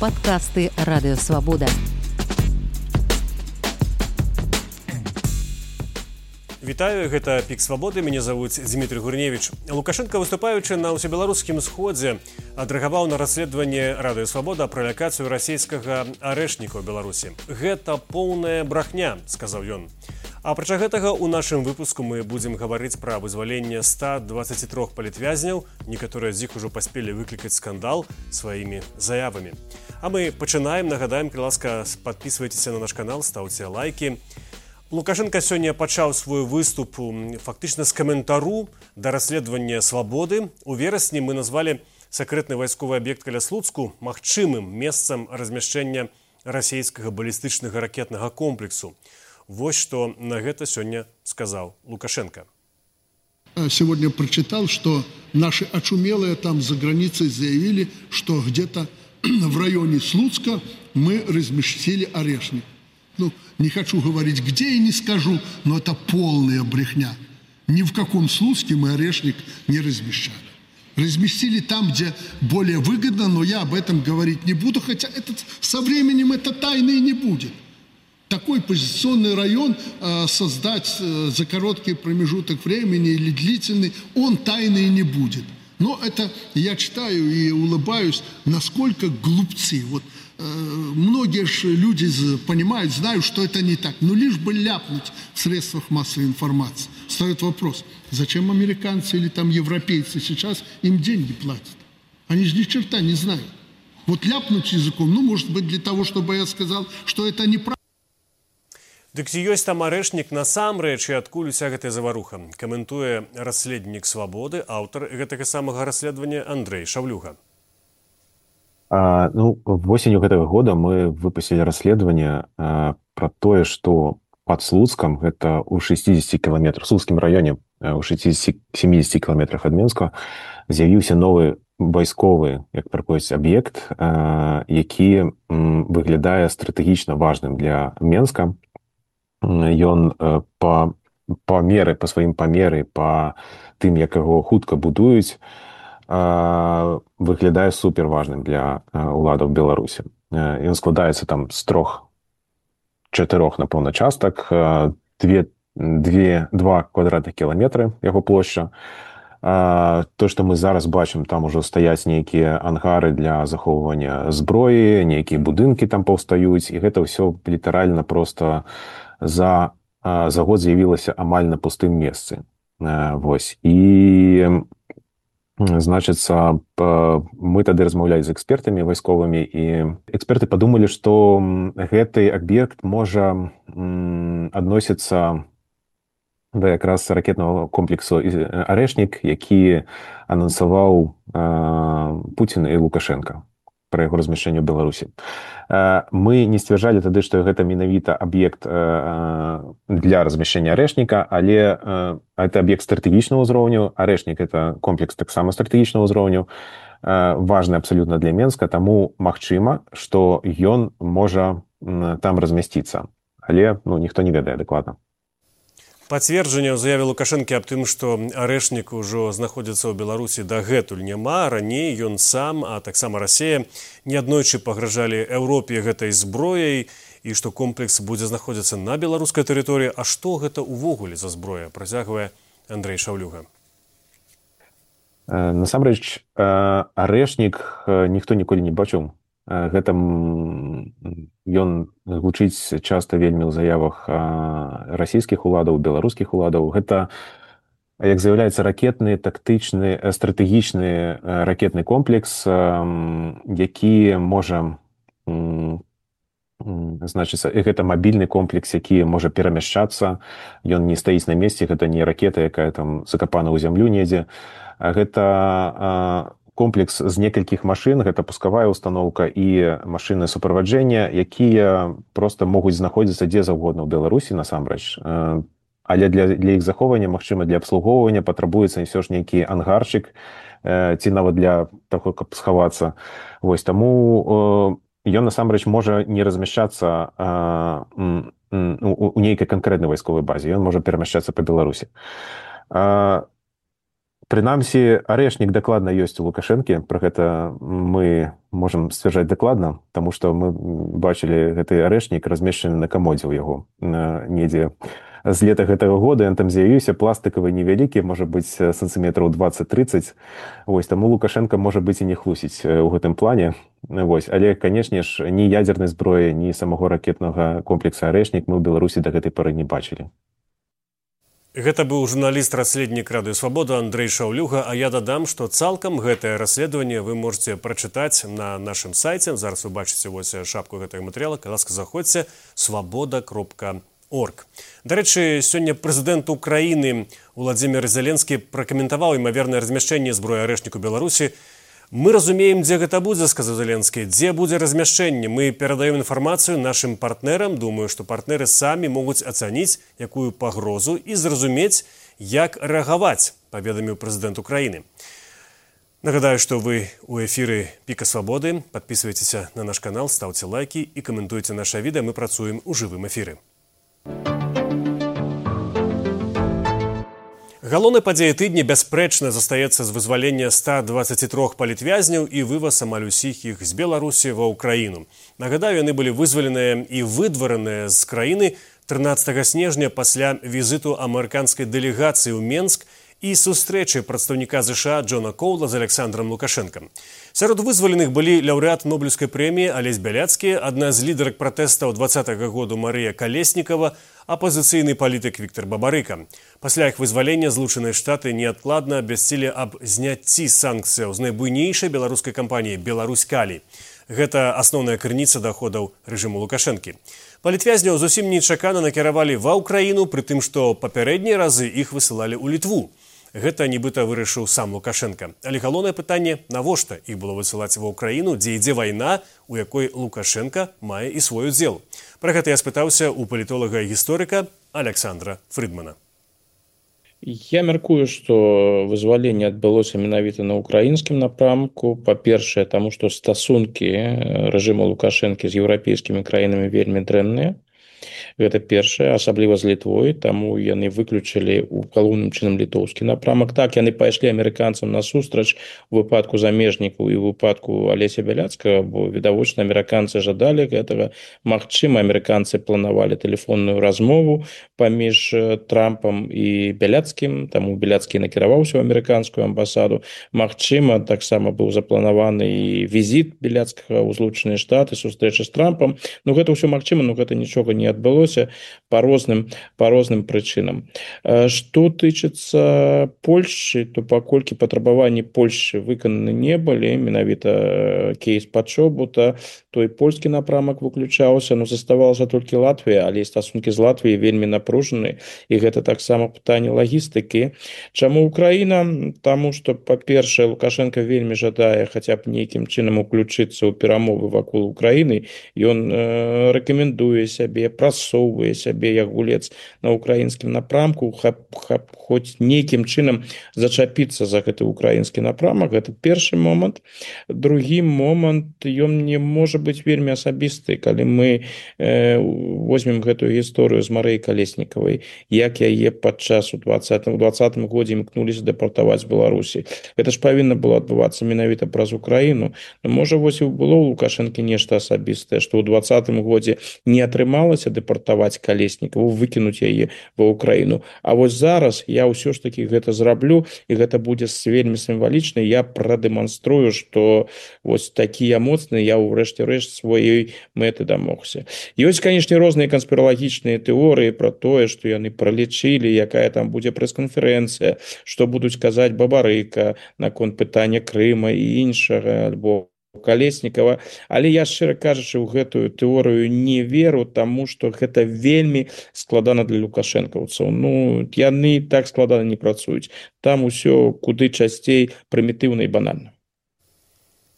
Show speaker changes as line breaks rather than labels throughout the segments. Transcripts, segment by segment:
Падкасты Радыёвабода.
Вітаю, гэта Пік Свабоды, мяне завуць Дмітрий Гурневич. Лукашенко, выступаючы на ўсебеларускім сходзе, адрэагаваў на расследаванне Радыёвабода пра лакацыю расійскага арэшніка ў Беларусі. Гэта поўная брахня, сказаў ён. Апрача гэтага, у нашым выпуску мы будзем гаварыць пра вызваленне 123 палітвязняў, некаторыя з іх ужо паспелі выклікаць скандал сваімі заявамі. А мы пачынаем, нагадаем, калі ласка, падпісвайцеся на наш канал, стаўце лайкі. Лукашенко сёння пачаў свой выступ фактычна з каментару да расследавання свабоды. У верасні мы назвалі сакрэтны вайсковы аб'ект каля Слуцку магчымым месцам размяшчэння расійскага балістычнага ракетнага комплексу. Вот что на это сегодня сказал Лукашенко.
Сегодня прочитал, что наши очумелые там за границей заявили, что где-то в районе Слуцка мы разместили орешник. Ну, не хочу говорить где и не скажу, но это полная брехня. Ни в каком Слуцке мы орешник не размещали. Разместили там, где более выгодно, но я об этом говорить не буду, хотя со временем это тайной не будет. Такой позиционный район создать за короткий промежуток времени или длительный, он тайный не будет. Но это я читаю и улыбаюсь, насколько глупцы. Вот многие же люди понимают, знают, что это не так. Но лишь бы ляпнуть в средствах массовой информации. Встает вопрос, зачем американцы или там европейцы сейчас им деньги платят? Они же ни черта не знают. Вот ляпнуть языком, ну, может быть, для того, чтобы я сказал, что это неправда.
Дык ці ёсць там арэшнік насамрэч і адкуль уся гэтая заваруха? Каментуе расследнік Свабоды, аўтар гэтага самага расследавання Андрей Шавлюга.
Восенью гэтага года мы выпусцілі расследаванне пра тое, што пад Слуцкам, гэта ў 60 кіламетрах, в Слуцкім раёне, ў 60-70 кіламетрах ад Менска, з'явіўся новы вайсковы, як прапоўсць, аб'ект, які выглядае стратэгічна важным для Менска. Ён па сваім памеры, па тым, як яго хутка будуюць, выглядае суперважным для уладаў Беларусі. Ён складаецца там з 3-4, напэўна, частак, 2 квадратных кіламетры яго плошча. То, што мы зараз бачым, там ужо стаяць нейкія ангары для захоўвання зброі, нейкія будынкі там паўстаюць, і гэта ўсё літаральна проста за год з'явілася амаль на пустым месцы. Вось. І, значыцца, мы тады размаўлялі з экспертамі вайсковымі, і эксперты падумалі, што гэты аб'ект можа адносіцца да якраз ракетнага комплексу «Арэшнік», які анансаваў Пуцін і Лукашенко пра яго размяшчэнне ў Беларусі. Мы не сцвярджалі тады, што гэта менавіта аб'ект для размяшчэння арэшніка, але гэта аб'ект стратэгічнага ўзроўню. Арэшнік – гэта комплекс таксама стратэгічнага ўзроўню, важны абсалютна для Менска, таму магчыма, што ён можа там размясціцца. Але ніхто не ведае дакладна.
Пацверджання ў заяве Лукашэнкі аб тым, што арэшнік ужо знаходзіцца ў Беларусі дагэтуль няма. Раней ён сам, а таксама Расія, неаднойчы пагражалі Еўропе гэтай зброяй і што комплекс будзе знаходзіцца на беларускай тэрыторыі. А што гэта ўвогуле за зброя? Працягвае Андрей Шаўлюга.
Насамрэч, арэшнік ніхто ніколі не бачыў. Гэта ён гучыць часта вельмі ў заявах расійскіх уладаў, беларускіх уладаў. Гэта, як з'яўляецца, ракетны, тактычны, стратэгічны ракетны комплекс, які можа, значыцца, гэта мабільны комплекс, які можа перамяшчацца. Ён не стаіць на месцы, гэта не ракета, якая там закапана ў зямлю недзе. Гэта комплекс з некалькіх машын, гэта пускавая установка і машыны суправаджэння, якія проста могуць знаходзіцца дзе заўгодна ў Беларусі насамрэч. Але для іх захоўвання, магчыма, для абслугоўвання патрабуецца ўсё ж нейкі ангарчык, ці нават для таго, каб схавацца. Вось, таму ён насамрэч можа не размяшчацца у нейкай канкрэтнай вайсковай базе, ён можа перамяшчацца па Беларусі. Прынамсі, арэшнік дакладна ёсць у Лукашэнкі, пра гэта мы можам сцвярджаць дакладна, таму што мы бачылі гэты арэшнік размешчаны на камодзе ў яго недзе з лета гэтага года. Ён там з'явіўся пластыкавы невялікі, можа быць сантыметраў 20-30. Вось, таму Лукашенко можа быць і не хлусіць у гэтым плане. Вось, але, канешне ж, ні ядзернай зброі, ні самого ракетнага комплекса арэшнік мы ў Беларусі да гэтай пары не бачылі.
Гэта быў журналіст-расследнік Радыё Свабода Андрэй Шаўлюга, а я дадам, што цалкам гэтае расследаванне вы можете прачытаць на нашым сайце. Зараз вы бачыце вось шапку гэтага матэрыяла. Калі ласка, заходзьце swoboda.org. Дарэчы, сёння прэзідэнт Украіны Уладзімір Зеленскі пракаментаваў імавернае размяшчэнне зброі арэшніку Беларусі. Мы разумеем, дзе гэта будзе, сказаў Зеленскі, дзе будзе размяшчэнне. Мы перадаем інфармацыю нашым партнерам. Думаю, што партнеры самі могуць ацаніць якую пагрозу і зразумець, як рэагаваць, паведаміў прэзідэнт Украіны. Нагадаю, што вы ў эфіры Піка Свабоды. Падпісвайцеся на наш канал, ставце лайкі і каментуйце наша відэа. Мы працуем у жывым эфіры. Галоўнай падзеяй тыдня бясспрэчна застаецца з вызвалення 123 палітвязняў і вываз амаль усіх іх з Беларусі ва ўкраіну. Нагадаю, яны былі вызваленыя і выдвараныя з краіны 13 снежня пасля візіту амерыканскай дэлегацыі ў Менск і сустрэчы прадстаўніка ЗША Джона Коула з Александром Лукашенком. Сярод вызваленых былі лаўрэат Нобелеўскай прэміі Алесь Бяляцкі, адна з лідарак пратэстаў 20-го году Марыя Калеснікава, апозіцыйны палітык Віктор Бабарыка. Пасля іх вызвалення Злучаныя Штаты неадкладна абвясцілі аб зняцці санкцыяў з найбуйнейшай беларускай кампаніі «Беларусь-Калій». Гэта асноўная крыніца даходаў рэжыму Лукашэнкі. Палітвязняў зусім нечакана накіравалі ва ўкраіну, пры тым, што папярэднія разы іх высылалі ў Літву. Гэта нібыта вырашыў сам Лукашенко. Але галоўнае пытанне, навошта іх было высылаць ва ўкраіну, дзе ідзе вайна, у якой Лукашенко мае і свой удзел. Пра гэта я спытаўся у палітолага і гісторыка Александра Фрыдмана.
Я мяркую, што вызваленне адбылося менавіта на ўкраінскім напрамку. Па-першае, таму што стасункі рэжыму Лукашэнкі з еўрапейскімі краінамі вельмі дрэнныя. Гэта першае, асабліва з Літвой, таму яны выключылі ў галоўным чынам літоўскі напрамак. Так, яны пайшлі амерыканцам насустрач у выпадку замежнікаў і ў выпадку Алеся Бяляцкага, бо відавочна амерыканцы жадалі гэтага. Магчыма, амерыканцы планавалі тэлефонную размову паміж Трампам і Бяляцкім, таму Бяляцкі накіраваўся ў амерыканскую амбасаду. Магчыма, таксама быў запланаваны і візіт Бяляцкага ў Злучаныя Штаты, сустрэча з Трампам. Ну, гэта ўсё магчыма, но гэта нічога не адбылося по розным прычынам. Што тычыцца Польшчы, то паколькі патрабаванні Польшчы выкананы не былі, менавіта кейс Пачобута, той польскі напрамак выключаўся, но заставалася толькі Латвія, але стасункі з Латвіяй вельмі напружаны, і гэта таксама пытанне лагістыкі. Чаму Украіна? Таму што, па-першае, Лукашенко вельмі жадае хаця б нейкім чынам уключыцца ў перамовы вакол Украіны. Ён рэкамендуе сябе, прасоўвае сябе як гулец на украінскім напрамку, хоць нейкім чынам зачапіцца за гэты украінскі напрамак. Гэта першы момант. Другі момант, ён не можа быць вельмі асабісты. Калі мы возьмем гэтую гісторыю з Марыяй Калеснікавай, як яе падчас у 2020 годзе імкнуліся дэпартаваць з Беларусі. Гэта ж павінна было адбывацца менавіта праз Украіну. Можа, вось і было ў Лукашэнкі нешта асабістае, што ў 2020 годзе не атрымалася дэпартаваць Калеснікаву, выкінуць яе ва Украіну. А вось зараз я ўсё ж такі гэта зраблю, і гэта будзе вельмі сімвалічна. Я прадэманструю, што вось такі я моцны, я ўрэшце рэшт сваёй мэты дамогся. Ёсць, канешне, розныя канспіралагічныя тэорыі пра тое, што яны пралічылі, якая там будзе прэс-канферэнцыя, што будуць казаць Бабарыка наконт пытання Крыма і іншага, альбо Калеснікава. Але я, шчыра кажучы, ў гэтую тэорыю не веру, таму што гэта вельмі складана для лукашэнкаўцаў. Ну, яны так складана не працуюць. Там усё куды часцей прымітыўна і банальна.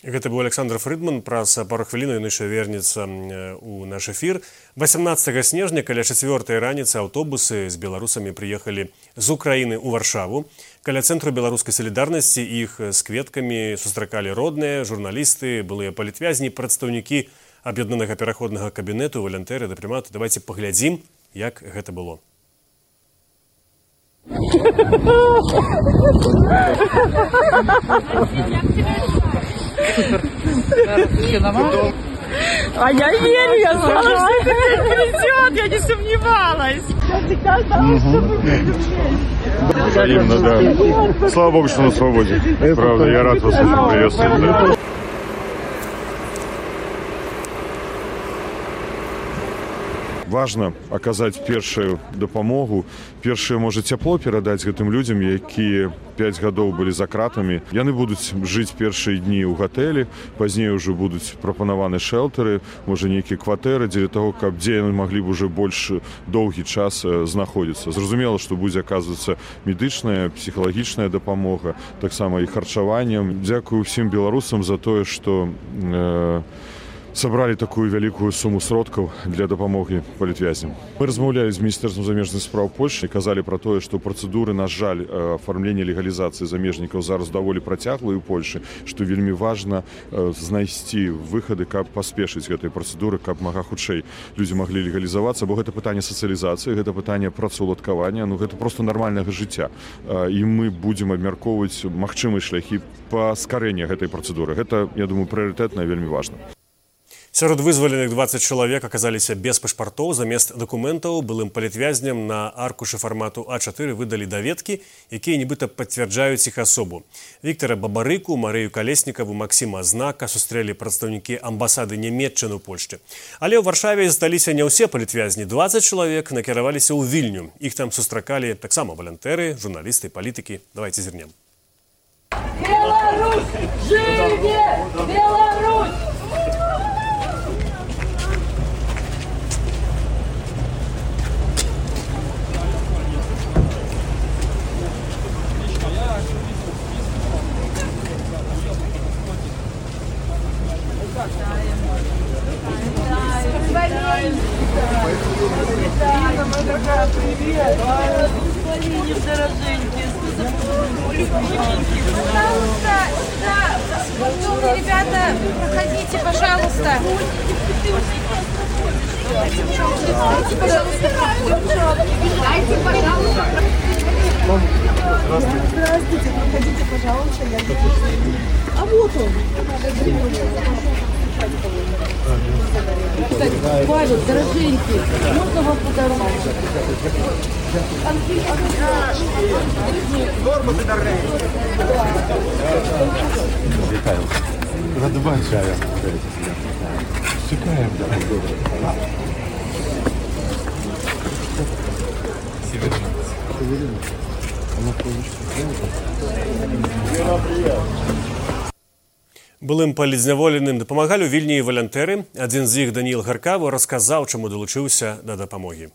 Гэта быў Александр Фрыдман. Праз пару хвілін ён яшчэ вернецца ў наш эфір. 18 снежня каля 4 раніцы аўтобусы з беларусамі прыехалі з Украіны ў Варшаву. Каля цэнтру беларускай салідарнасці іх з кветкамі сустракалі родныя, журналісты, былыя палітвязні, прадстаўнікі аб'яднанага пераходнага кабінету, валянтэры, дыпламаты. Давайце паглядзім, як гэта было.
А я верю, я знала, что это придет, я не сомневалась. Я всегда знала, что мы будем вместе.
Взаимно, да. Слава Богу, что на свободе. Правда, я рад вас очень приветствовать. Важно аказаць першую дапамогу. Першае можа цяпло перадаць гэтым людзям, якія 5 гадоў былі за кратамі. Яны будуць жыць першыя дні ў гатэлі, пазней ўжо будуць прапанаваны шэлтары, можа нейкія кватэры дзеля таго, каб дзе яны маглі б уже больш доўгі час знаходзіцца. Зразумела, што будзе аказвацца медычная, псіхалагічная дапамога, таксама і харчаваннем. Дзякую ўсім беларусам за тое, што сабралі такую вялікую суму сродкаў для дапамогі палітвязням. Мы размаўлялі з міністэрствам замежных спраў Польшы і казалі пра тое, што працэдуры, на жаль, афармлення легалізацыі замежнікаў зараз даволі працяглыя ў Польшы, што вельмі важна знайсці выхады, каб паспешыць гэтай працэдуры, каб мага хутчэй людзі маглі легалізавацца, бо гэта пытанне сацыялізацыі, гэта пытанне працаўладкавання, гэта проста нармальнага жыцця. І мы будзем абмяркоўваць магчымыя шляхі паскарэння гэтай працэдуры. Гэта, я думаю, прыярытэтна і вельмі важна.
Сярод вызваленых 20 чалавек аказаліся без пашпартоў. Замест дакументаў былым палітвязням на аркушы фармату А4 выдалі даведкі, якія нібыта пацвярджаюць іх асобу. Віктара Бабарыку, Марыю Калеснікаву, Максіма Знака сустрэлі прадстаўнікі амбасады Нямецчыны ў Польшчы. Але ў Варшаве засталіся не ўсе палітвязні. 20 чалавек накіраваліся ў Вільню. Іх там сустракалі таксама валянтэры, журналісты, палітыкі. Давайте зірнем.
Беларусь! Жыве! Беларусь! Привет! Пожалуйста, да, спортивные ребята, проходите, пожалуйста. Дайте, пожалуйста. Дайте, пожалуйста. Здравствуйте, проходите, пожалуйста. А вот он. Павел, дорогенький, можно вам подарить?
Вітаю. Рада бачити. Чекаємо.
Былым палітзняволеным дапамагалі ў Вільні і валянтэры. Адзін з іх, Даніил Гаркавы, расказаў, чаму далучыўся да дапамогі.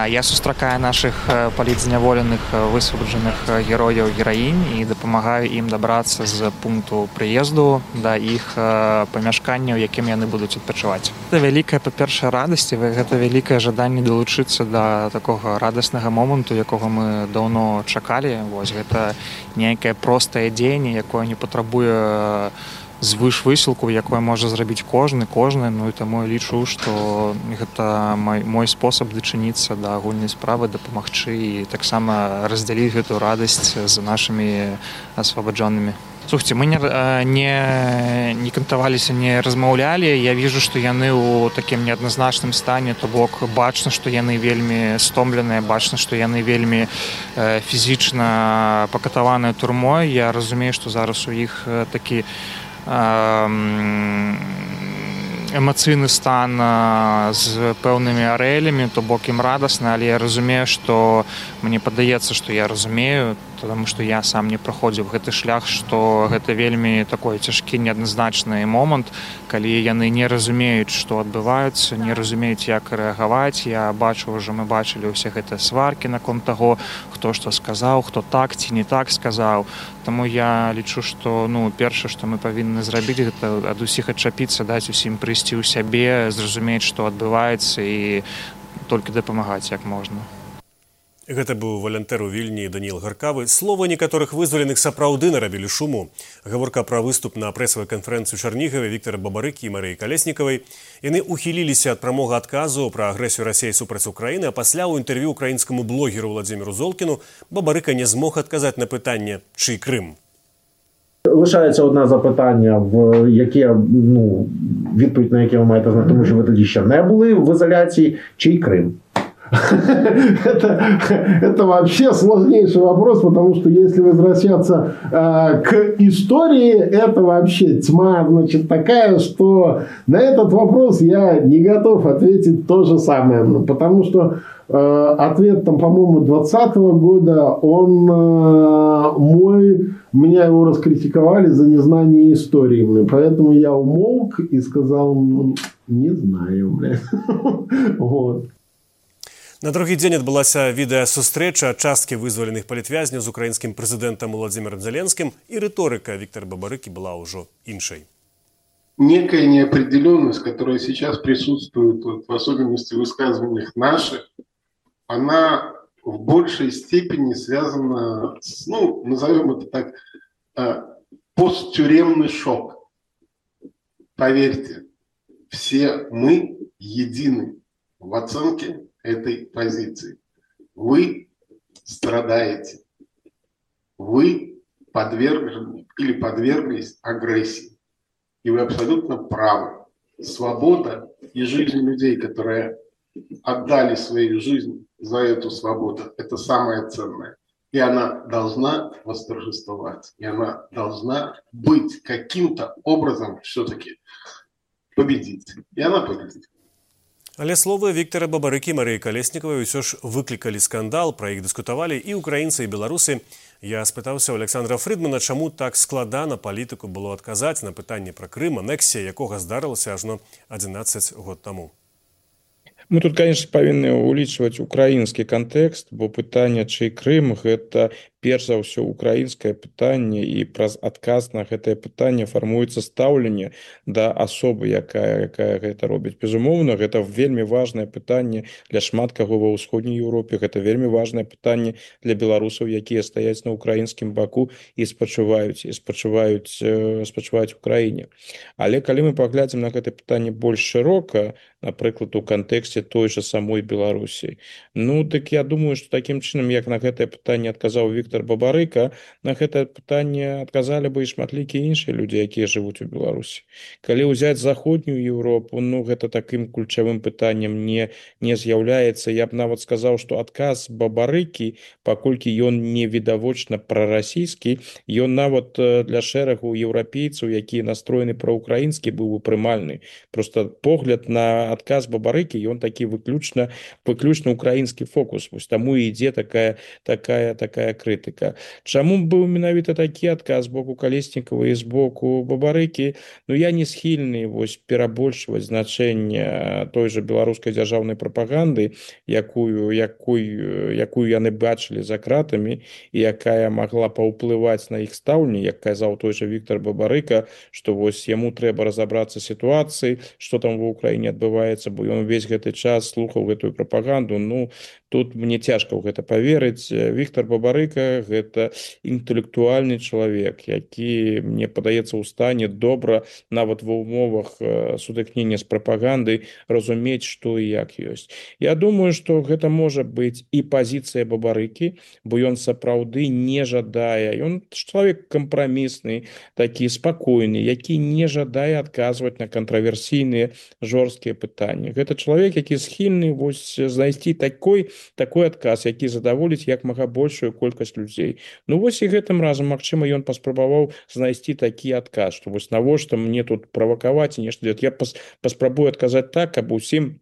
Я сустракаю наших палітзняволеных, высвабаджаных герояў, гераінь і дапамагаю ім дабрацца з пункту прыезду да іх памяшкання, у якім яны будуць адпачываць. Гэта вялікая, па-першае, радасць, гэта вялікае жаданне далучыцца да такога радаснага моманту, якога мы даўно чакалі. Вось гэта нейкае простае дзеянне, якое не патрабуе звышвысілку, якое можа зрабіць кожны, ну і таму я лічу, што гэта мой спосаб дачыніцца да агульнай справы, дапамагчы і таксама раздзяліць гэту радасць з нашымі асвабаджонымі. Слухайте, мы не кантаваліся, не размаўлялі. Я вижу, што яны ў такім неадназначным стане, то бок бачна, што яны вельмі стомленыя, бачна, што яны вельмі фізічна пакатаваныя турмой. Я разумею, што зараз у іх такі эмацыйны стан з пэўнымі арэлямі, то бок ім радасна, але я разумею, што мне падаецца, што я разумею, потому што я сам не праходзіў гэты шлях, што гэта вельмі такой цяжкі, неадназначны момант, калі яны не разумеюць, што адбываецца, не разумеюць, як рэагаваць. Я бачу, ўжо мы бачылі ўсе гэтыя сваркі наконт таго, хто што сказаў, хто так ці не так сказаў. Таму я лічу, што першае, што мы павінны зрабіць, гэта ад усіх адчапіцца, даць усім прыйсці ў сябе, зразумець, што адбываецца і толькі дапамагаць як можна.
Гэта быў валянтэр у Вільні Даніил Гаркавы. Словы некаторых вызваленых сапраўды нарабілі шуму. Гаворка пра выступ на прэсавай канферэнцыі ў Чарнігаве Віктара Бабарыкі і Марыі Калеснікавай. Яны ухіліліся ад прамога адказу пра агрэсію Расіі супраць Украіны, а пасля ў інтэрв'ю украінскаму блогеру Владзіміру Золкіну Бабарыка не змог адказаць на пытанне, чый Крым.
Лишається одне запитання, відповідь на яке ви маєте знати, тому що ви тоді ще не були в ізоляції, чий Крим? Это вообще сложнейший вопрос, потому что если возвращаться к истории, это вообще тьма, значит, такая, что на этот вопрос я не готов ответить то же самое, потому что ответ, там, по-моему, 2020 года, он меня его раскритиковали за незнание истории, поэтому я умолк и сказал, не знаю, вот.
На другі дзень адбылася відэасустрэча часткі вызваленых палітвязняў з украінскім прэзідэнтам Владзімірам Зеленскім, і рыторыка Віктара Бабарыкі была ўжо іншай.
Некая неопределенность, которая сейчас присутствует, в особенности в высказываниях наших, она в большей степени связана с, назовем это так, посттюремный шок. Поверьте, все мы едины в оценке этой позиции. Вы страдаете. Вы подвержены или подверглись агрессии. И вы абсолютно правы. Свобода и жизнь людей, которые отдали свою жизнь за эту свободу, это самое ценное. И она должна восторжествовать. И она должна быть каким-то образом все-таки победить. И она победит.
Але словы Віктара Бабарыкі і Марыі Калеснікавай ўсё ж выклікалі скандал, пра іх дыскутавалі і ўкраінцы, і беларусы. Я спытаўся ў Александра Фрыдмана, чаму так складана палітыку было адказаць на пытанне пра Крым, анексія якога здарылася ажно 11 год таму.
Мы тут, конечно, павінны улічваць украінскі кантэкст, бо пытанне, чый Крым, гэта перш за ўсё украінскае пытанне, і праз адказ на гэтае пытанне фармуецца стаўленне да асобы, якая гэта робіць. Безумоўна, гэта вельмі важнае пытанне для шмат каго ва ўсходняй Еўропе, гэта вельмі важнае пытанне для беларусаў, якія стаяць на украінскім баку і спачуваюць Украіне. Але калі мы паглядзім на гэта пытанне больш шырока, напрыклад, у кантэксце той же самой Беларусі, так я думаю, што такім чынам, як на гэтае пытанне адказаў Віктар Бабарыка, на гэтае пытанне адказалі бы і шматлікія іншыя людзі, якія жывуць у Беларусі. Калі ўзяць заходнюю Еўропу, гэта такім ключавым пытаннем не з'яўляецца. Я б нават сказаў, што адказ Бабарыкі, паколькі ён не відавочна прарасійскі, ён нават для шэрагу еўрапейцаў, якія настроены праўкраінскі, быў бы прымальны. Просто погляд на адказ Бабарыкі, ён такі выключна украінскі фокус. Вось таму і ідзе такая крытыка. Чаму быў менавіта такі адказ з боку Калеснікава і з боку Бабарыкі? Я не схільны перабольшваць значэнне той же беларускай дзяржаўнай прапаганды, якую яны бачылі за кратамі і якая магла паўплываць на іх стаўленне, як казаў той же Віктар Бабарыка, што вось яму трэба разабрацца сітуацыі, што там ва Украіне адбываецца, бо ён увесь гэты час слухаў гэтую прапаганду. Тут мне цяжка ў гэта паверыць. Віктар Бабарыка – гэта інтэлектуальны чалавек, які, мне падаецца, у стане добра, нават ва ўмовах сутыкнення з прапагандай, разумець, што і як ёсць. Я думаю, што гэта можа быць і пазіцыя Бабарыкі, бо ён сапраўды не жадае. Ён чалавек кампрамісны, такі спакойны, які не жадае адказваць на кантраверсійныя жорсткія пытанні. Гэта чалавек, які схільны знайсці такой адказ, які задаволіць як мага большую колькасць людзей. І гэтым разам, магчыма, ён паспрабаваў знайсці такі адказ, што навошта мне тут правакаваць і нешта дзець. Я паспрабую адказаць так, каб усім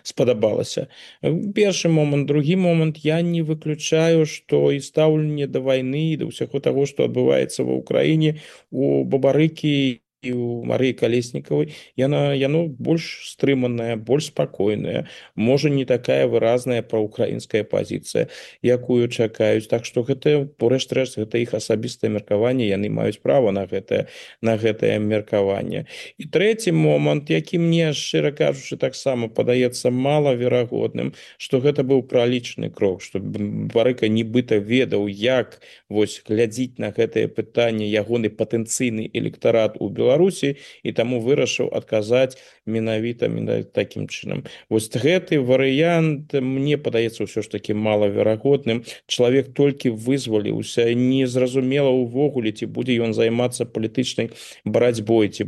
спадабалася. Першы момант. Другі момант, я не выключаю, што і стаўленне да вайны, да ўсяго таго, што адбываецца ва Ўкраіне, у Бабарыкі і у Марыі Калеснікавай, яно больш стрыманая, больш спакойная, можа не такая выразная праўкраінская пазіцыя, якую чакаюць. Так што гэта, рэшт-рэшт, гэта іх асабістае меркаванне, яны маюць права на гэтае меркаванне. І трэці момант, які мне, шчыра кажучы, таксама падаецца малаверагодным, што гэта быў пралічаны крок, што Барыка нібыта ведаў, як глядзіць на гэтае пытанне ягоны патэнцыйны электарат у Беларусі, і таму вырашыў адказаць менавіта такім чынам. Гэты варыянт мне падаецца ўсё ж такі малаверагодным. Чалавек толькі вызваліўся, незразумела ўвогуле, ці будзе ён займацца палітычнай барацьбой, ці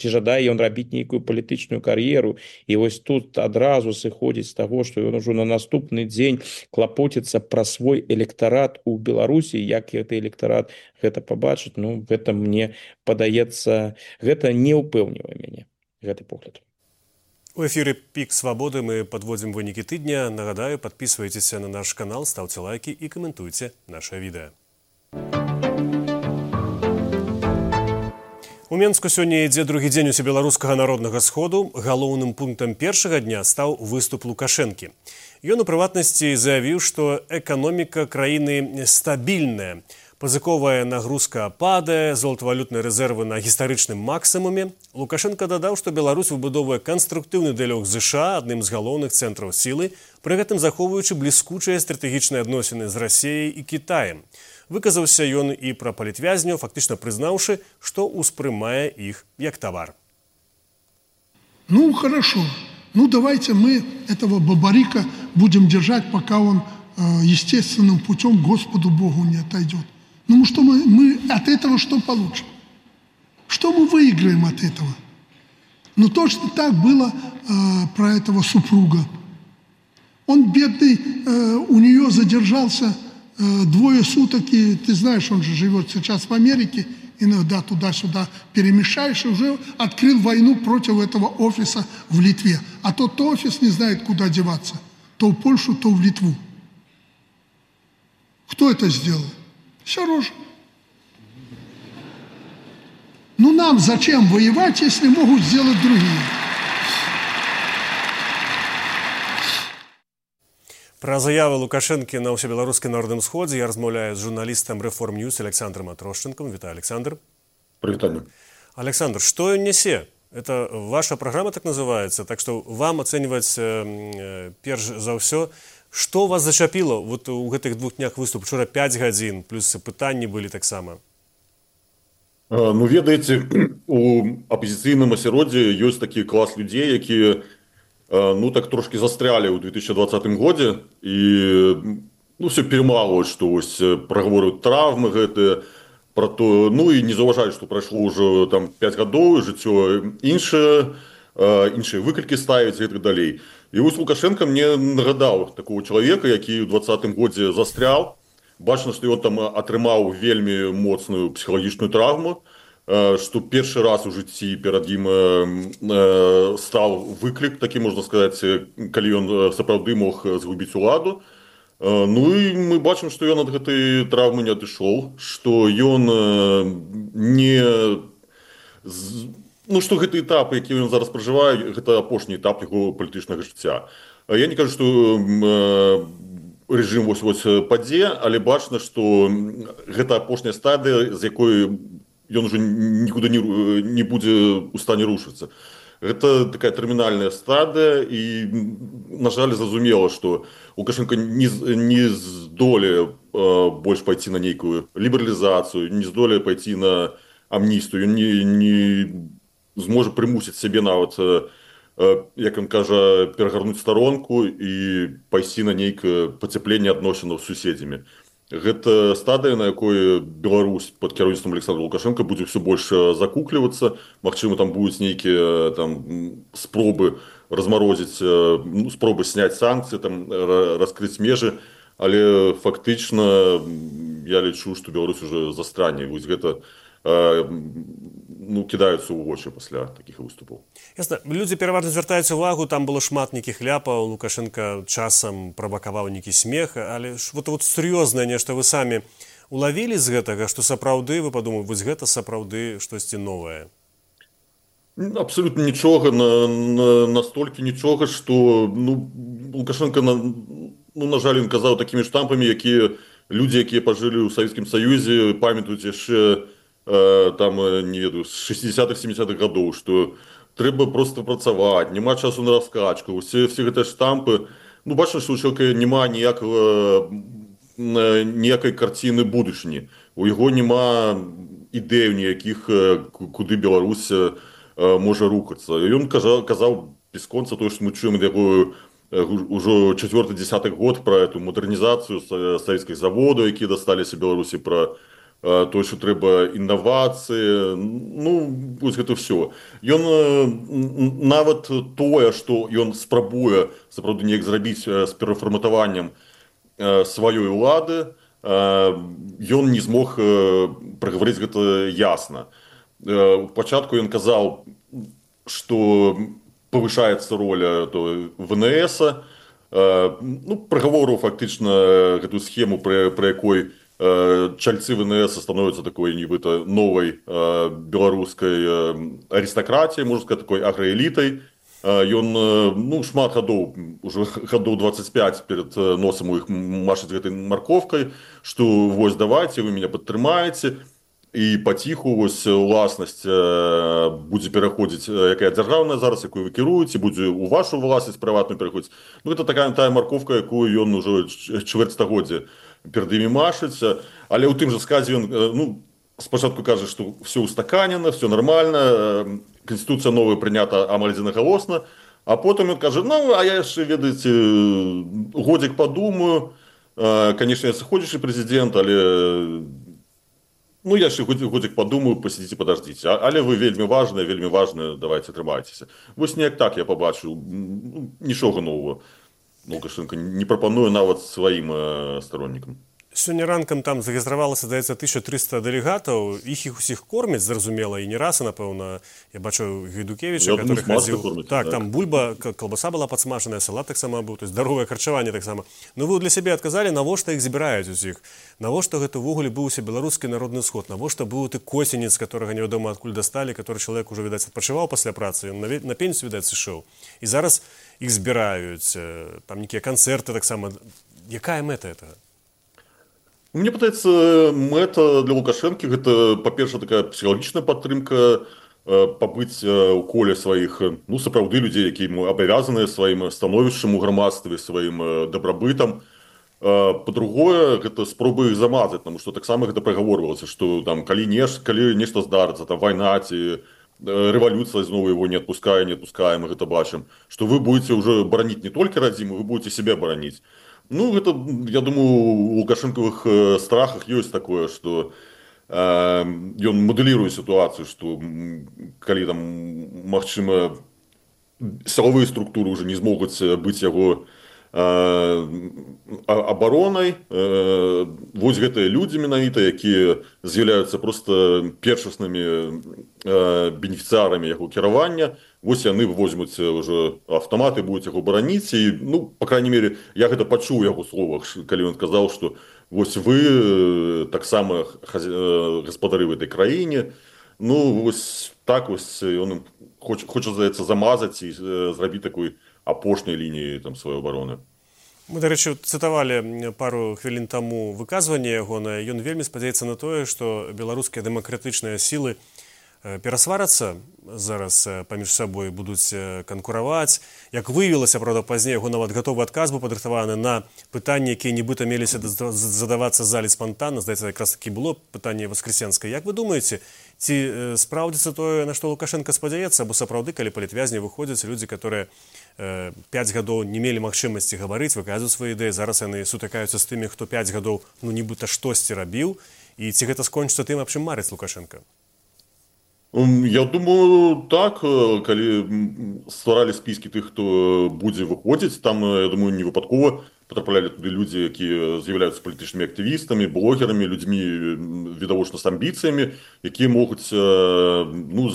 жадае ён рабіць нейкую палітычную кар'еру, і тут адразу сыходзіць з таго, што ён ужо на наступны дзень клапоціцца пра свой электарат у Беларусі, як гэты электарат гэта пабачыць, гэта мне падаецца, гэта не ўпэўнівае мяне, гэты погляд.
У эфіры «Пік Свабоды» мы падводзім вынікі тыдня. Нагадаю, падпісвайцеся на наш канал, ставце лайкі і каментуйце наша відэа. У Менску сёння ідзе другі дзень усебеларускага народнага сходу. Галоўным пунктам першага дня стаў выступ Лукашэнкі. Ён у прыватнасці заявіў, што эканоміка краіны стабільная. Пазыковая нагрузка падае, золатавалютныя рэзервы на гістарычным максімуме. Лукашенко дадаў, што Беларусь выбудоўвае канструктыўны дыялог з ЗША, адным з галоўных цэнтраў сілы, пры гэтым захоўваючы бліскучыя стратэгічныя адносіны з Расіяй і Кітаем. Выказаўся ён і пра палітвязняў, фактычна прызнаўшы, што ўспрымае іх як тавар.
Хорошо. Давайте мы этого Бабарика будем держать, пока он естественным путем к Господу Богу не отойдет. Что мы от этого что получим? Что мы выиграем от этого? Точно так было про этого супруга. Он бедный, у нее задержался 2 суток, и ты знаешь, он же живет сейчас в Америке, иногда туда-сюда перемешаешь, и уже открыл войну против этого офиса в Литве. А тот офис не знает, куда деваться. То в Польшу, то в Литву. Кто это сделал? Сорожа. Нам зачем воевать, если могут сделать другие?
Пра заявы Лукашэнкі на ўсебеларускім народным сходзе я размаўляю з журналістам Reform News Александром Атрощенком. Вітаю, Александр.
Привет.
Александр, что он несе? Это ваша программа так называется, так что вам оценивать перш за ўсё. Што вас зачапіла у гэтых 2 днях выступ? Вчора 5 гадзін, плюс пытанні былі таксама.
Ведаеце, у апозіцыйным асяроддзі ёсць такі клас людзей, якія так трошки застрялі ў 2020 годзе і все перамалваюць, што прагаворваюць травмы гэтыя, пра то, і не заўважаюць, што прайшло ўжо 5 гадоў, жыццё іншыя выклікі ставяць і так далей. І Лукашенко мне нагадаў такого чалавека, які ў 2020 годзе застрял. Бачна, што ён там атрымаў вельмі моцную псіхалагічную травму, што першы раз у жыцці перад ім стаў выклік, такі можна сказаць, калі ён сапраўды мог згубіць уладу. І мы бачым, што ён ад гэтай травмы не адышоў, што ён што гэты этап, які ён зараз пражывае, гэта апошні этап яго палітычнага жыцця. Я не кажу, што рэжым падзе, але бачна, што гэта апошняя стадыя, з якой ён уже нікуды не будзе ў стане рушыцца. Гэта такая тэрмінальная стадыя, і, на жаль, зразумела, што Лукашенко не здолее больш пайці на нейкую лібералізацыю, не здолее пайці на амністыю, ён не зможа прымусіць сябе нават, як ён кажа, перагарнуць старонку і пайсці на нейкае пацяпленне адносінаў з суседзямі. Гэта стадыя, на якой Беларусь пад кіраўніцтвам Александра Лукашенка будзе ўсё больш закуклівацца. Магчыма, там будуць нейкія спробы размарозіць, спробы сняць санкцыі, раскрыць межы, але фактычна я лічу, што Беларусь уже застране. Гэта кідаюцца ў вочы пасля такіх выступаў.
Ясна. Людзі пераважна звяртаюць увагу, там было шмат нейкіх ляпаў, Лукашенко часам правакаваў нейкі смех, але сур'ёзнае нешта вы самі улавілі з гэтага, што сапраўды вы падумалі, вось гэта сапраўды штосьці новае?
Абсолютно нічога, настолькі нічога, што Лукашенко, на жаль, ён казаў такімі штампамі, якія людзі, якія пажылі ў Савецкім Саюзе, памятаюць яшчэ там, не ведаю, з 60-х, 70-х гадоў, што трэба проста працаваць, няма часу на раскачку, все гэтыя штампы. Бачна, што ў чалавека няма ніякай карціны будучыні. У яго няма ідэй ніякіх, куды Беларусь можа рухацца. Ён казаў без конца тое, што мы чуем ад яго ўжо 4-10 год пра эту мадэрнізацыю савецкіх заводаў, якія дасталіся Беларусі, пра тое, што трэба інавацыі, вось гэта ўсё. Ён нават тое, што ён спрабуе сапраўды неяк зрабіць з перафарматаваннем сваёй улады, ён не змог прагаварыць гэта ясна. У пачатку ён казаў, што павышаецца роля ВНС, прагаворыў фактычна гэтую схему, пры якой чальцы ВНС становяцца такой нібыта новай беларускай арыстакратіяй, можна сказаць, такой аграэлітай. Ён шмат гадоў, уже гадоў 25 перад носам у іх машыць гэтай марковкай, што вось давайце, вы мяне падтрымаеце, і паціху вось уласнасць будзе пераходзіць, якая дзяржаўная зараз, якую вы кіруеце, будзе ў вашу власнасць прыватную пераходзіць. Гэта тая марковка, якую ён ужо чвэрць стагоддзя перад імі машыць. Але ў тым жа сказе ён спачатку кажа, што все устаканена, все нормально, Конституція новая прынята амаль адзінагалосна, а потым ён кажа, а я яшчэ, ведаеце, годзік падумаю, канешне, я сыходзячы прэзідэнт, але я яшчэ годзік падумаю, пасядзіце, падаждзіце, але вы вельмі важныя, давайце, трымайцеся. Вось неяк так я пабачыў, нічога новага Лукашенко не прапануе нават сваім староннікам.
Сёння ранкам там зарэгістравалася, здаецца, 1300 дэлегатаў, іх усіх кормяць, зразумела, і не раз, і, напэўна, я бачу Гайдукевіча, который хадзіў. Так, там бульба, калбаса была падсмажаная, салат таксама быў, то есть здаровае харчаванне таксама. Ну, вы для сябе адказалі, навошта іх збіраюць усіх? Навошта гэта ўвогуле быў усе беларускі народны сход? Навошта быў ты Косінец, которага невядома адкуль дасталі, который чалавек ужо, відаць, адпачываў пасля працы, ён на пенсію, відаць, сышоў. І зараз іх збіраюць, там нейкія канцэрты таксама. Якая мэта этого?
Мне падаецца, мэта для Лукашэнкі гэта, па-перша, такая псіхалагічная падтрымка, пабыць у коле сваіх, сапраўды людзей, якія ему абавязаныя сваім становішчам у грамадстве, сваім дабрабытам. Па-другое, гэта спроба іх замазаць, таму што таксама гэта прагаворвалася, што там калі нешта здарыцца, там вайна ці рэвалюцыя зноў яго не адпускае, мы гэта бачым, што вы будзеце ўжо бараніць не толькі радзіму, вы будзеце сябе бараніць. Гэта, я думаю, у лукашэнкавых страхах ёсць такое, што ён мадэліруе сітуацыю, што калі там, магчыма, сілавыя структуры ўжо не змогуць быць яго абаронай, вось гэтыя людзі менавіта, якія з'яўляюцца проста першаснымі бенефіцыарамі яго кіравання, вось яны возьмуць ўжо аўтаматы, будуць яго бараніць, і, па крайней мере, я гэта пачуў у яго словах, калі ён казаў, што вось вы таксама гаспадары в этой краіне, вось так вось ён хоча, здаецца, замазаць і зрабіць такой апошняй лініі сваёй абароны.
Мы, дарэчы, цытавалі пару хвілін таму выказванне ягонае. Ён вельмі спадзяецца на тое, што беларускія дэмакратычныя сілы перасварацца зараз паміж сабой, будуць канкураваць. Як выявілася, правда, пазней, яго нават гатовы адказ быў падрыхтаваны на пытанні, якія нібыта меліся задавацца залі спантанна. Здаецца, якраз такі было пытанне воскресенскае. Як вы думаеце, ці спраўдзіцца тое, на што Лукашенко спадзяецца, або сапраўды, калі палітвязні выходзяць людзі, которые 5 гадоў не мелі магчымасці гаварыць, выказваць свае ідэі, зараз яны сутыкаюцца з тымі, хто 5 гадоў нібыта штосьці рабіў, і ці гэта скончыцца тым, аб чым марыць Лукашенко?
Я думаю, так, калі стваралі спіскі тых, хто будзе выходзіць, там, я думаю, не выпадкова патраплялі туды людзі, якія з'яўляюцца палітычнымі актывістамі, блогерамі, людзьмі відавочна з амбіцыямі, якія могуць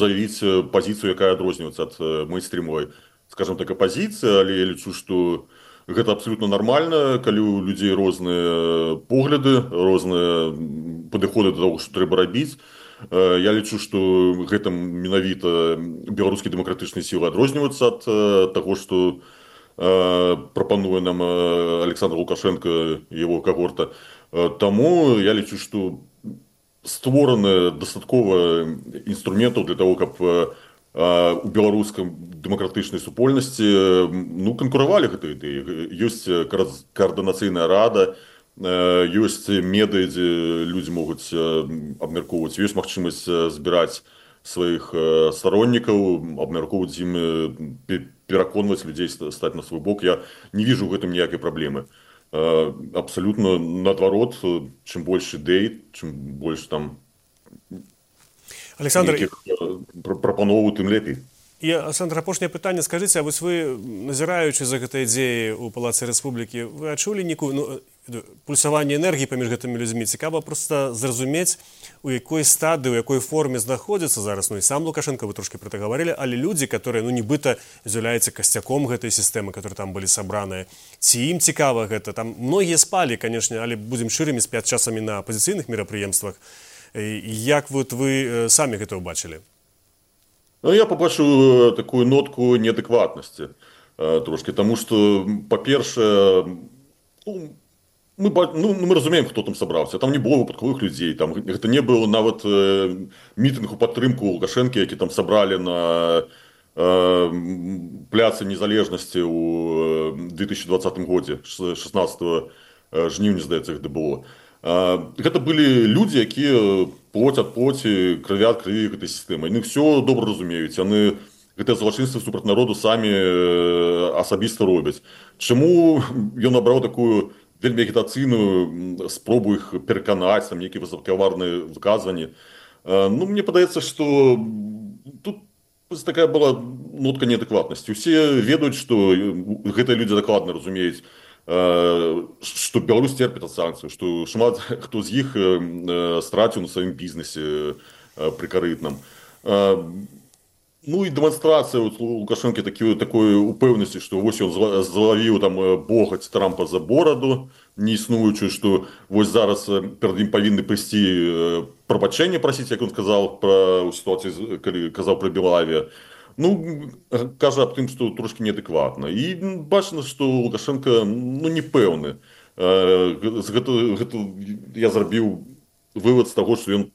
заявіць пазіцыю, якая адрозніваецца ад мейнстрімовай, скажем так, апазіцыі, але я лічу, што гэта абсолютно нармальна, калі ў людзей розныя погляды, розныя падыходы да таго, што трэба рабіць. Я лічу, што гэта менавіта беларускія дэмакратычныя сілы адрозніваюцца ад таго, што прапануе нам Александр Лукашенко і яго когорта. Таму я лічу, што створаны дастаткова інструментаў для таго, каб у беларускай дэмакратычнай супольнасці канкуравалі гэтыя ідэі. Ёсць каардынацыйная рада, ёсць медыа, дзе людзі могуць абмяркоўваць, ёсць магчымасць збіраць сваіх староннікаў, абмяркоўваць ім, пераконваць людзей стаць на свой бок. Я не вижу ў гэтым ніякай праблемы. Абсолютно наадварот, чым больш ідэй, чым больш там
Александр,
прапановаў, тым лепей.
І, Александр, апошняе пытанне. Скажыце, а вось вы, назіраючы за гэтай ідзеяй у Палацы Рэспублікі, вы адчулі нейкую пульсаванне энергіі паміж гэтымі людзьмі? Цікава проста зразумець, у якой стадыі, у якой форме знаходзіцца зараз, і сам Лукашенко, вы трошки про это гаварылі, але людзі, которые, нібыта з'яўляюцца касцяком гэтай сістэмы, которые там былі сабраныя, ці ім цікава гэта? Там многія спалі, канешне, але будзем шчырымі, спяць часамі на апазіцыйных мерапрыемствах. Як вот вы самі гэта ўбачылі?
Я побачу такую нотку неадэкватнасці трошки, тому что, по-перше, мы разумеем, хто там сабраўся. Там не было выпадковых людзей, там гэта не было нават мітынг у падтрымку Лукашэнкі, які там сабралі на пляцы незалежнасці ў 2020 годзе, 16 жніўня, здаецца, гэта было. Гэта былі людзі, якія плоть ад плоці, крыві ад крыві гэтай сістэмы. Яны ўсё добра разумеюць, яны гэтыя злачынствы супраць народу самі асабіста робяць. Чаму ён абраў такую вельмі агітацыйную спробу іх пераканаць, там нейкія высокаварныя выказванні? Мне падаецца, што тут такая была нотка неадэкватнасці. Усе ведаюць, што гэтыя людзі дакладна разумеюць, што Беларусь терпіць ад санкцый, што шмат хто з іх страціў на сваім бізнесе прыкарытным. І дэманстрацыя Лукашэнкі такой упэўнасці, што вось ён злавіў там богаць Трампа за бораду неіснуючую, што вось зараз перад ім павінны прыйсці прабачэнне прасіць, як ён сказаў у сітуацыі, калі казаў пра Белавія. Кажа аб тым, што трошки неадэкватна. І бачна, што Лукашенко не пэўны. Я зрабіў вывад з таго, што ён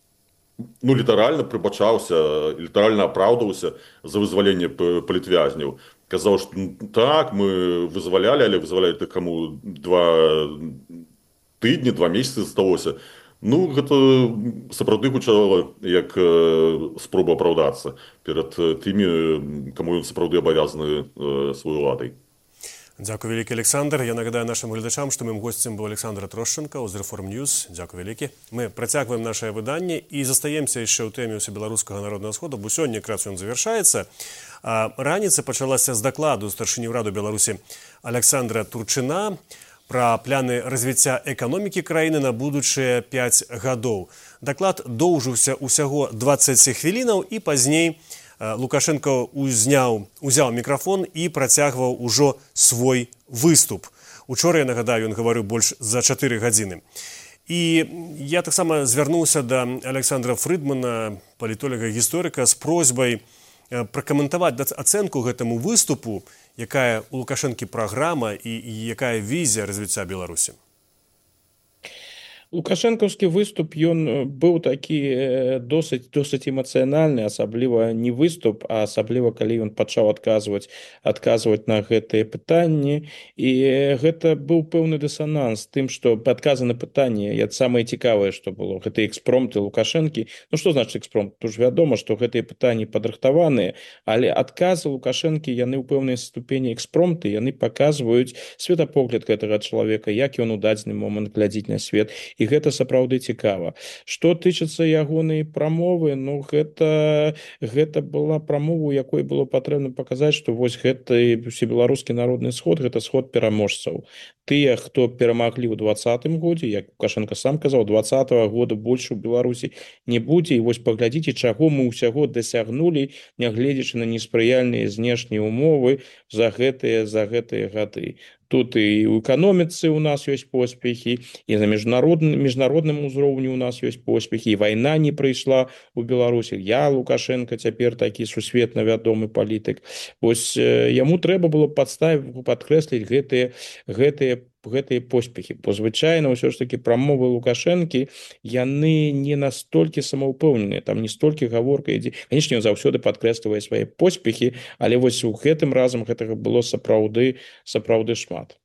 літаральна прыбачаўся, літаральна апраўдаўся за вызваленне палітвязняў. Казаў, што так, мы вызвалялі, але вызвалялі каму 2 тыдні, 2 месяцы засталося. Гэта сапраўды гучала як спроба апраўдацца перад тымі, каму ён сапраўды абавязаны сваёй уладай.
Дякую вялікі, Александр. Я нагадаю нашим глядачам, што моим гостем быў Александр Трошченко з Reform News. Дякую вялікі. Мы працягваем наше выданне і застаемся яшчэ ў тэме ўсебеларускага народнага сходу, бо сёння якраз ён завяршаецца. Раніца пачалася з дакладу старшыні ўраду Беларусі Александра Турчына пра пляны развіцця эканомікі краіны на будучыя 5 гадоў. Даклад доўжыўся ўсяго 20 хвілінаў і пазней Лукашенко узяў мікрафон і працягваў ужо свой выступ. Учора, я нагадаю, ён гаварыў больш за 4 гадзіны. І я таксама звярнуўся да Александра Фрыдмана, палітолага-гісторыка, з просьбай пракаментаваць ацэнку гэтаму выступу, якая у Лукашэнкі праграма і якая візія развіцця Беларусі.
Лукашэнкаўскі выступ, ён быў такі досыць эмацыянальны, асабліва не выступ, а асабліва калі ён пачаў адказваць на гэтыя пытанні. І гэта быў пэўны дысананс тым, што адказы на пытанні, самае цікавае, што было, гэта экспромты Лукашэнкі. Што значыць экспромт? Тут ж вядома, што гэтыя пытанні падрыхтаваныя, але адказы Лукашэнкі, яны ў пэўнай ступені экспромты, яны паказваюць светапогляд гэтага чалавека, як ён у дадзены момант глядзіць на свет. І гэта сапраўды цікава. Што тычыцца ягонай прамовы, гэта была прамова, у якой было патрэбна паказаць, што вось гэты усебеларускі народны сход, гэта сход пераможцаў. Тыя, хто перамаглі ў 2020 годзе, як Лукашенко сам казаў, 2020 года больш у Беларусі не будзе. І вось паглядзіце, чаго мы ўсяго дасягнулі, нягледзячы на неспрыяльныя знешнія ўмовы за гэтыя гады. Тут і ў эканоміцы у нас ёсць поспехі, і на міжнародным узроўні у нас ёсць поспехі, і вайна не прыйшла ў Беларусі. Лукашенко цяпер такі сусветна вядомы палітык. Вось яму трэба было падкрэсліць гэтыя поспехі. Бо звычайна ўсё ж такі прамовы Лукашэнкі, яны не настолькі самаўпэўненыя, там не столькі гаворка ідзе. Канечне, ён заўсёды падкрэслівае свае поспехі, але вось у гэтым разам гэтага было сапраўды шмат.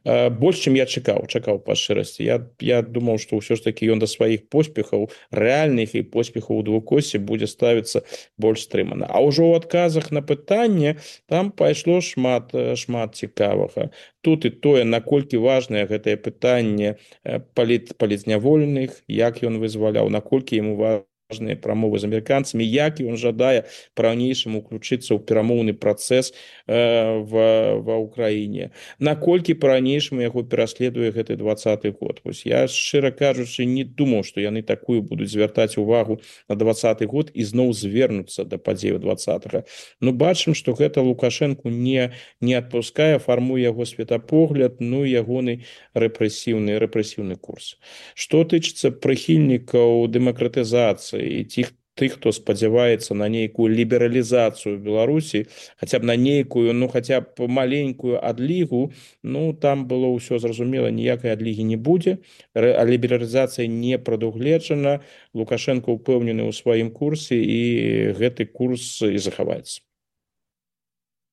Больш, чым я чакаў па шчырасці. Я думаў, што ўсё ж такі ён да сваіх поспехаў, рэальных і поспехаў у двукосці будзе ставіцца больш стрымана. А ўжо ў адказах на пытанне там пайшло шмат цікавага. Тут і тое, наколькі важнае гэтае пытанне палітзняволеных, як ён вызваляў, наколькі яму важныя прамовы з амерыканцамі, як ён жадае па-ранейшаму ўключыцца ў перамоўны працэс ва ўкраіне, наколькі па-ранейшаму яго пераследуе гэты 20-й год. Вось я, шчыра кажучы, не думаў, што яны такую будуць звяртаць увагу на 20-й год і зноў звернуцца да падзею 20-го. Ну, бачым, што гэта Лукашэнку не адпускае, фармуе яго светапогляд, ну і ягоны рэпрэсіўны курс. Што тычыцца прыхільнікаў дэмакратызацыі і тых, хто спадзяваецца на нейкую лібералізацыю Беларусі, хаця б на нейкую, хаця б маленькую адлігу, там было ўсё зразумела, ніякай адлігі не будзе, а лібералізацыя не прадугледжана, Лукашенко ўпэўнены ў сваім курсе і гэты курс і захаваецца.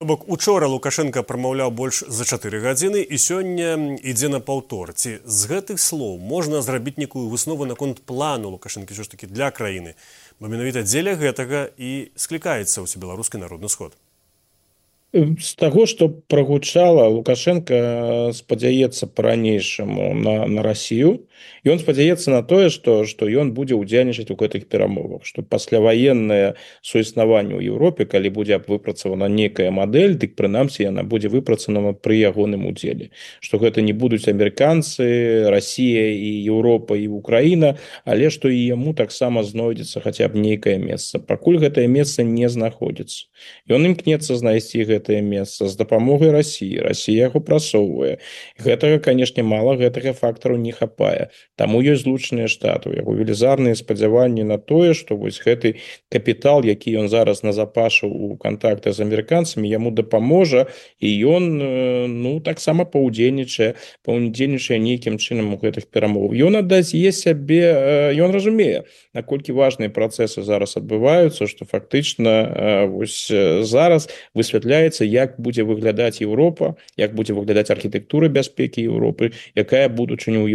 Бок учора Лукашенко прамаўляў больш за 4 гадзіны і сёння ідзе на паўтор. Ці з гэтых слоў можна зрабіць некую выснову наконт плану Лукашэнкі ўсё ж такі для краіны, бо менавіта дзеля гэтага і склікаецца ўсебеларускі народны сход.
З таго, што прагучала, Лукашенко спадзяецца па-ранейшаму на Расію. Ён спадзяецца на тое, што ён будзе ўдзельнічаць у гэтых перамовах, што пасляваеннае суіснаванне ў Еўропе, калі будзе выпрацавана нейкая мадэль, дык прынамсі яна будзе выпрацавана пры ягоным удзеле. Што гэта не будуць амерыканцы, Расія і Еўропа і Украіна, але што і яму таксама знойдзецца хаця б нейкае месца. Пакуль гэтае месца не знаходзіцца. Ён імкнецца знайсці гэтае месца з дапамогай Расіі. Расія яго прасоўвае. Гэтага, канешне, мала, гэтага фактару не хапае. Таму ёсць злучаныя штаты, у яго велізарныя спадзяванні на тое, што вось гэты капітал, які ён зараз назапашыў у кантактах з амерыканцамі, яму дапаможа, і ён таксама паўдзельнічае нейкім чынам у гэтых перамовах. Ён аддае сябе, ён разумее, наколькі важныя працэсы зараз адбываюцца, што фактычна вось зараз высвятляецца, як будзе выглядаць Еўропа, як будзе выглядаць архітэктура бяспекі Еўропы, якая будучыня ў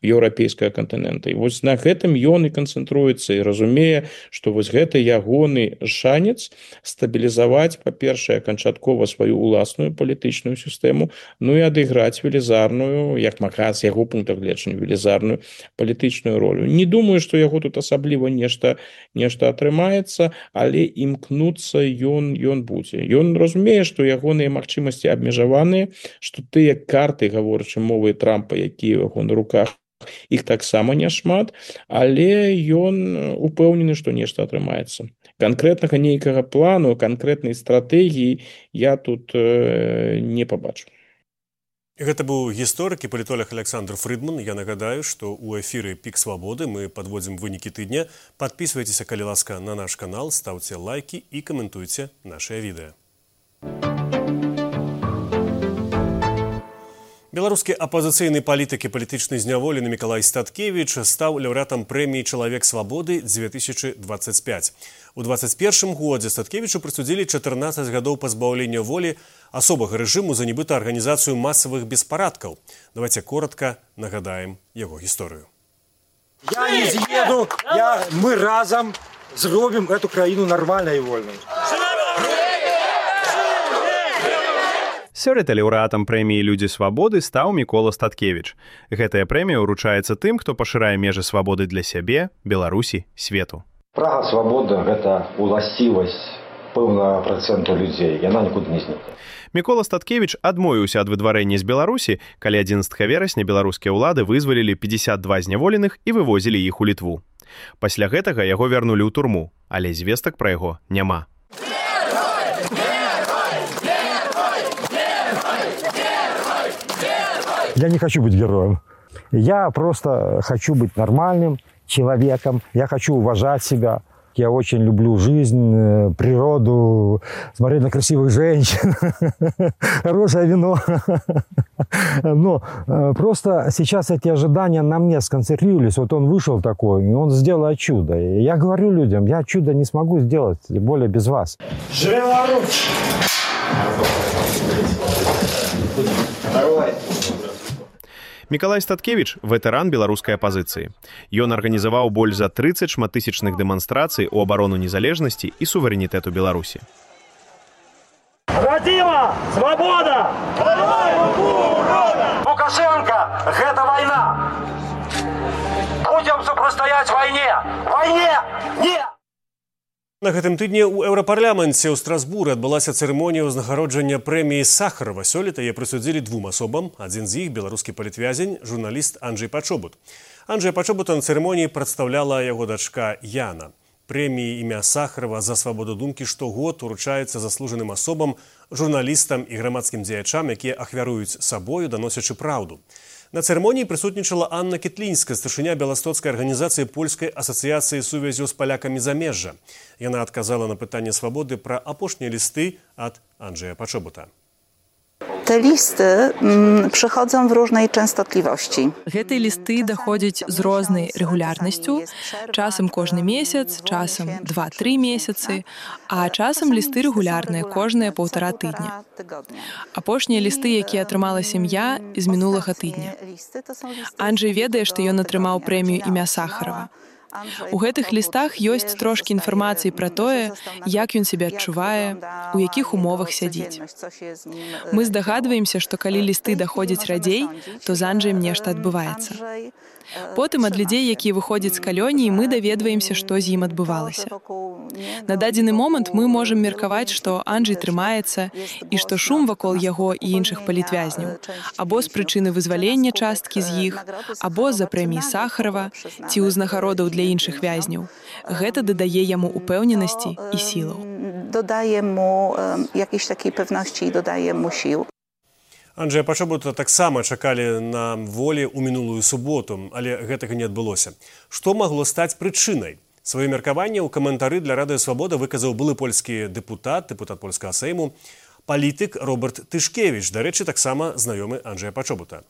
еўрапейскага кантынента. І вось на гэтым ён і канцэнтруецца і разумее, што вось гэта ягоны шанец стабілізаваць, па-першае, канчаткова сваю ўласную палітычную сістэму, і адыграць велізарную, як мага з яго пункта гледжання, велізарную палітычную ролю. Не думаю, што яго тут асабліва нешта атрымаецца, але імкнуцца ён будзе. Ён разумее, што ягоныя магчымасці абмежаваныя, што тыя карты, гаворачы мовай Трампа, якія ў яго на руках, іх таксама няшмат, але ён упэўнены, што нешта атрымаецца. Канкрэтнага нейкага плану, канкрэтнай стратэгіі я тут не пабачу.
Гэта быў гісторык і палітолог Александр Фрыдман. Я нагадаю, што ў эфіры «Пік свабоды» мы падводзім вынікі тыдня. Падпісвайцеся, калі ласка, на наш канал, стаўце лайкі і каментуйце нашыя відэа. Беларускі апазіцыйны палітык і палітычны зняволены Мікалай Статкевіч стаў лаўрэатам прэміі «Чалавек свабоды-2025». У 2021 годзе Статкевічу прысудзілі 14 гадоў пазбаўлення волі асобага рэжыму за нібыта арганізацыю масавых беспарадкаў. Давайте коротка нагадаем яго гісторыю.
Я не з'еду, мы разам зробім эту краіну нармальнай і вольнай.
Сёлета лаўрэатам прэміі «Людзі свабоды» стаў Мікола Статкевіч. Гэтая прэмія ўручаецца тым, хто пашырае межы свабоды для сябе, Беларусі, свету.
Прага свабоды – гэта уласцівасць пэўнага працэнту людзей. Яна нікуды не знікае.
Мікола Статкевіч адмовіўся ад выдварэння з Беларусі, калі 11 верасня беларускія ўлады вызвалілі 52 зняволеных і вывозілі іх у Літву. Пасля гэтага яго вярнулі ў турму, але звестак пра яго няма.
Я не хочу быть героем. Я просто хочу быть нормальным человеком. Я хочу уважать себя. Я очень люблю жизнь, природу, смотреть на красивых женщин, хорошее вино. Но просто сейчас эти ожидания на мне сконцентрировались. Вот он вышел такой, и он сделал чудо. И я говорю людям, я чудо не смогу сделать, тем более без вас.
Беларусь!
Мікалай Статкевіч – ветэран беларускай апазіцыі. Ён арганізаваў больш за 30 шматтысячных дэманстрацый у абарону незалежнасці і суверэнітэту Беларусі.
Радзіма! Свабода! Лукашенко! Гэта вайна! Будзем супрацьстаяць вайне! Вайне! Не!
На гэтым тыдні ў Еўрапарламенце ў Страсбуры адбылася цырымонія ўзнагароджання прэміі Сахарова. Сёлета яе прысудзілі двум асобам. Адзін з іх – беларускі палітвязень, журналіст Анджэй Пачобут. Анджэя Пачобута на цырымоніі прадстаўляла яго дачка Яна. Прэміі імя Сахарова за свабоду думкі штогод уручаецца заслужаным асобам, журналістам і грамадскім дзеячам, якія ахвяруюць сабою, даносячы праўду. На цырымоніі прысутнічала Анна Кітлінская, старшыня беластоцкай арганізацыі польскай асацыяцыі сувязю з палякамі замежжа. Яна адказала на пытанне свабоды пра апошнія лісты ад Анджэя Пачобута.
Te listy przychodzą w różnej częstotliwości.
Гэтыя лісты даходзяць з рознай рэгулярнасцю, часам кожны месяц, часам 2-3 месяцы, а часам лісты рэгулярныя, кожныя 1,5 тыдня. Апошнія лісты, якія атрымала сям'я, з мінулага тыдня. Анджэй ведае, што ён атрымаў прэмію імя Сахарова. У гэтых лістах ёсць трошкі інфармацыі пра тое, як ён сябе адчувае, у якіх умовах сядзіць. Мы здагадваемся, што калі лісты даходзяць радзей, то з Анджэем нешта адбываецца. Потым ад людзей, якія выходзяць з калоніі, мы даведваемся, што з ім адбывалася. На дадзены момант мы можам меркаваць, што Анджэй трымаецца і што шум вакол яго і іншых палітвязняў або з прычыны вызвалення часткі з іх, або з-за прэміі Сахарова ці ўзнагародаў для іншых вязняў. Гэта дадае яму упэўненасці і сілаў.
Дадае яму якісь такі пэўнасці і дадае яму сіл.
Анджэя Пачобута таксама чакалі на волі ў мінулую суботу, але гэтага не адбылося. Што магло стаць прычынай? Сваё меркаванне ў каментары для Радыё Свабода выказаў былы польскі дэпутат польскага Сейму, палітык Роберт Тышкевіч, дарэчы, таксама знаёмы Анджэя Пачобута.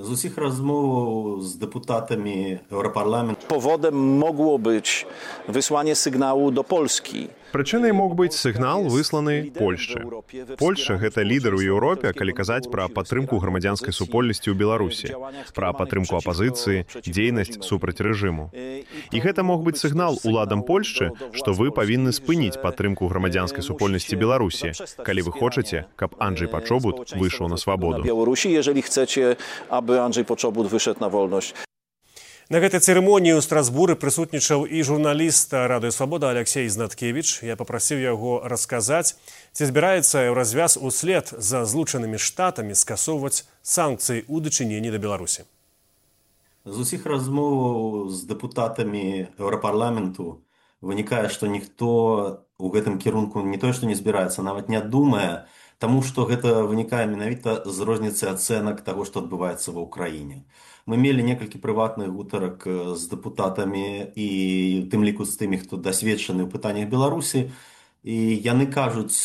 Z усіх rozmów z deputatami Europarlamentu powodem mogło być wysłanie sygnału do Polski.
Прычынай мог быць сігнал, высланы Польшчы. Польшча – гэта лідар у Еўропе, калі казаць пра падтрымку грамадзянскай супольнасці ў Беларусі, пра падтрымку апазіцыі, дзейнасць супраць рэжыму. І гэта мог быць сігнал уладам Польшчы, што вы павінны спыніць падтрымку грамадзянскай супольнасці Беларусі, калі вы хочаце, каб Анджэй Пачобут выйшаў на свабоду.
Беларусі, jeżeli chcecie, aby Andrzej Poczobut wyszedł na wolność.
На гэтай цырымоніі ў Страсбуры прысутнічаў і журналіст Радыё Свабода Алексей Знаткевіч. Я папрасіў яго расказаць, ці збіраецца развяз услед за злучанымі штатамі скасоўваць санкцыі ў дачыненні да Беларусі.
З усіх размоў з дэпутатамі Еўрапарламенту вынікае, што ніхто ў гэтым кірунку не тое, што не збіраецца, нават не думае, таму што гэта вынікае менавіта з розніцы ацэнак таго, што адбываецца ва ўкраіне. Мы мелі некалькі прыватных гутарак з дэпутатамі і ў тым ліку з тымі, хто дасведчаны ў пытаннях Беларусі, і яны кажуць,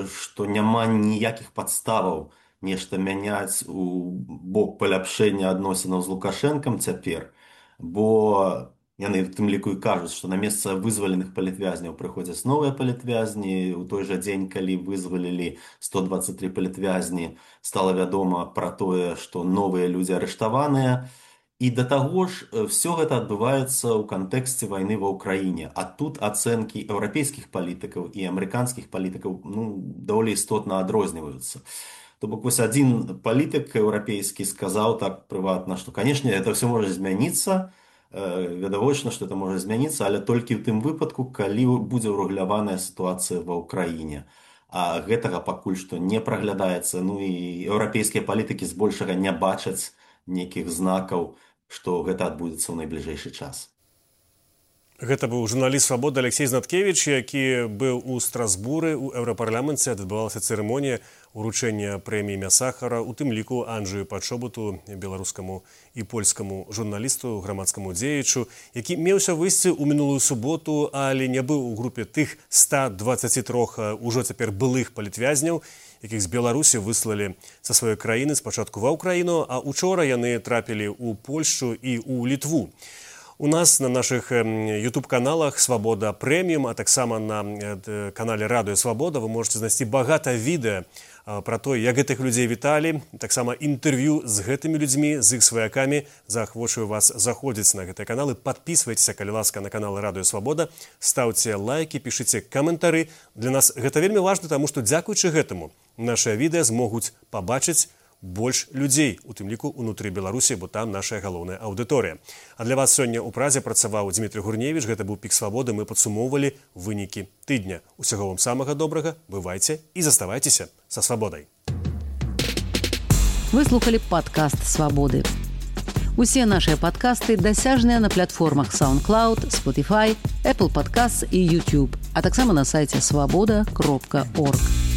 што няма ніякіх падставаў нешта мяняць у бок паляпшэння адносінаў з Лукашэнкам цяпер, бо яны в тым ліку і кажуць, што на месца вызваленых палітвязняў прыходзяць новыя палітвязні. У той жа дзень, калі вызвалілі 123 палітвязні, стала вядома пра тое, што новыя людзі арыштаваныя. І да таго ж, все гэта адбываецца ў кантэксце вайны ва ўкраіне. А тут ацэнкі еўрапейскіх палітыкаў і амерыканскіх палітыкаў даволі істотна адрозніваюцца. То бок вось адзін палітык еўрапейскі сказаў так прыватна, што, канешне, это все можа змяніцца, відавочна, што это можа змяніцца, але толькі ў тым выпадку, калі будзе ўрэгуляваная сітуацыя ва ўкраіне. А гэтага пакуль што не праглядаецца, і еўрапейскія палітыкі збольшага не бачаць нейкіх знакаў, што гэта адбудзецца ў найбліжэйшы час.
Гэта быў журналіст «Свабоды» Алексей Знаткевич, які быў у Страсбуры ў Еўрапарламенце. Адбывалася цырымонія уручэння прэміі імя Сахара, у тым ліку Анджею Падшобуту, беларускаму і польскаму журналісту, грамадскаму дзеячу, які меўся выйсці ў мінулую суботу, але не быў у групе тых 123 ужо цяпер былых палітвязняў, якіх з Беларусі выслалі са сваёй краіны спачатку ва ўкраіну, а учора яны трапілі ў Польшчу і ў Літву. У нас на наших YouTube-каналах «Свабода Прэміум», а таксама на канале «Радыё Свабода» вы можете знайсці багата відэа пра то, як гэтых людзей віталі, таксама інтэрв'ю з гэтымі людзьмі, з іх сваякамі. Заахвочваю вас заходзіць на гэтыя каналы, падпісвайцеся, калі ласка, на канал «Радыё Свабода», стаўце лайкі, пішыце каментары. Для нас гэта вельмі важна, таму што дзякуючы гэтаму нашыя відэа змогуць пабачыць больш людзей, у тым ліку ўнутры Беларусі, бо там нашая галоўная аўдыторыя. А для вас сёння ў Празе працаваў Дзмітрый Гурневіч, гэта быў «Пік Свабоды», мы падсумоўвалі вынікі тыдня. Усяго вам самага добрага, бывайце і заставайцеся са свабодай.
Вы слухали падкаст «Свабоды». Усе нашыя падкасты дасяжныя на платформах SoundCloud, Spotify, Apple Podcasts і YouTube, а таксама на сайце swaboda.org.